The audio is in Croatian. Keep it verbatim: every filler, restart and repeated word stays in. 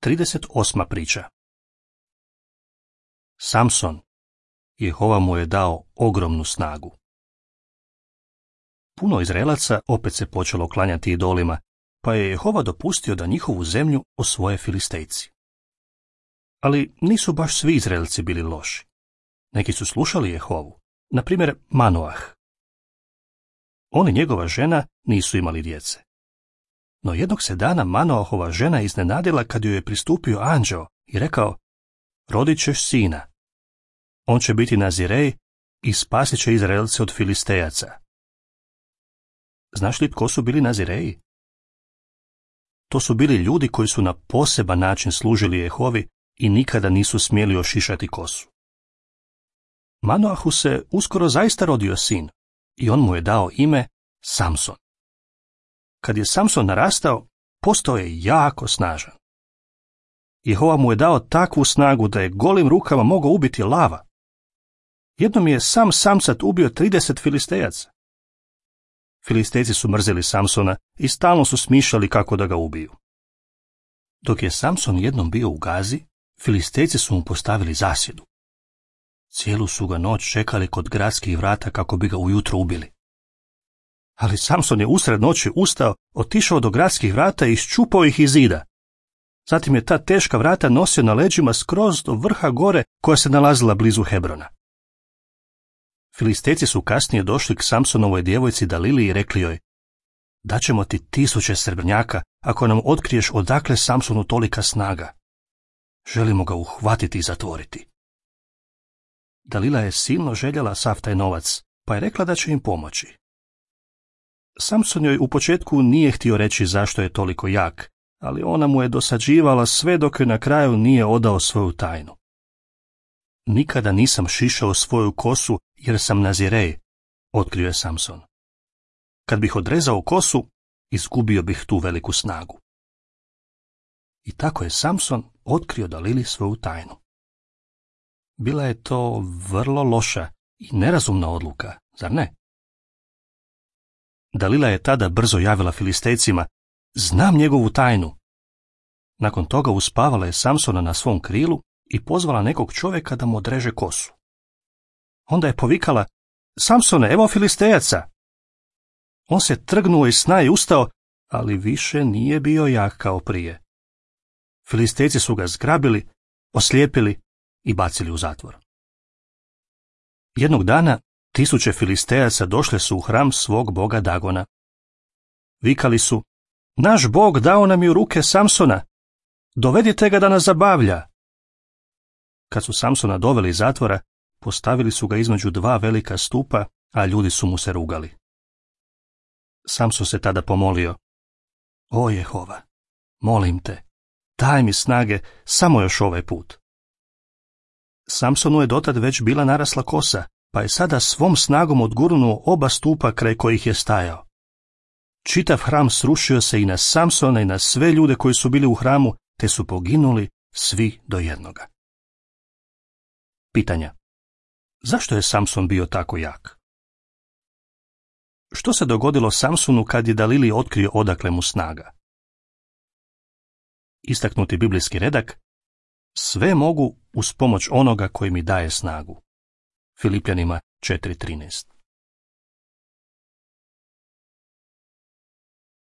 trideset osma priča. Samson, Jehova mu je dao ogromnu snagu. Puno Izraelaca opet se počelo klanjati idolima, pa je Jehova dopustio da njihovu zemlju osvoje Filistejci. Ali nisu baš svi Izraelci bili loši. Neki su slušali Jehovu, na primjer Manoah. On i njegova žena nisu imali djece. No jednog se dana Manoahova žena iznenadila kad joj je pristupio anđeo i rekao: rodit ćeš sina. On će biti Nazirej i spasit će Izraelce od Filistejaca. Znaš li tko su bili Nazireji? To su bili ljudi koji su na poseban način služili Jehovi i nikada nisu smjeli ošišati kosu. Manoahu se uskoro zaista rodio sin i on mu je dao ime Samson. Kad je Samson narastao, postao je jako snažan. Jehova mu je dao takvu snagu da je golim rukama mogao ubiti lava. Jednom je sam samcat ubio trideset Filistejaca. Filistejci su mrzeli Samsona i stalno su smišljali kako da ga ubiju. Dok je Samson jednom bio u Gazi, Filistejci su mu postavili zasjedu. Cijelu su ga noć čekali kod gradskih vrata kako bi ga ujutro ubili. Ali Samson je usred noći ustao, otišao do gradskih vrata i iščupao ih iz zida. Zatim je ta teška vrata nosio na leđima skroz do vrha gore koja se nalazila blizu Hebrona. Filistejci su kasnije došli k Samsonovoj djevojci Dalili i rekli joj: daćemo ti tisuće srebrnjaka ako nam otkriješ odakle Samsonu tolika snaga. Želimo ga uhvatiti i zatvoriti. Dalila je silno željela sav taj novac, pa je rekla da će im pomoći. Samson joj u početku nije htio reći zašto je toliko jak, ali ona mu je dosađivala sve dok joj na kraju nije odao svoju tajnu. Nikada nisam šišao svoju kosu jer sam Nazirej, otkrio je Samson. Kad bih odrezao kosu, izgubio bih tu veliku snagu. I tako je Samson otkrio Dalili svoju tajnu. Bila je to vrlo loša i nerazumna odluka, zar ne? Dalila je tada brzo javila Filistejcima: znam njegovu tajnu. Nakon toga uspavala je Samsona na svom krilu i pozvala nekog čovjeka da mu odreže kosu. Onda je povikala: Samsone, evo Filistejaca! On se trgnuo iz sna i ustao, ali više nije bio jak kao prije. Filistejci su ga zgrabili, oslijepili i bacili u zatvor. Jednog dana tisuće Filistejaca došle su u hram svog boga Dagona. Vikali su: naš bog dao nam je u ruke Samsona, dovedite ga da nas zabavlja. Kad su Samsona doveli iz zatvora, postavili su ga između dva velika stupa, a ljudi su mu se rugali. Samson se tada pomolio: o Jehova, molim te, daj mi snage samo još ovaj put. Samsonu je dotad već bila narasla kosa, pa je sada svom snagom odgurnuo oba stupa kraj kojih je stajao. Čitav hram srušio se i na Samsona i na sve ljude koji su bili u hramu, te su poginuli svi do jednoga. Pitanja: zašto je Samson bio tako jak? Što se dogodilo Samsonu kad je Dalili otkrio odakle mu snaga? Istaknuti biblijski redak: sve mogu uz pomoć onoga koji mi daje snagu. Filipljanima četiri trinaest.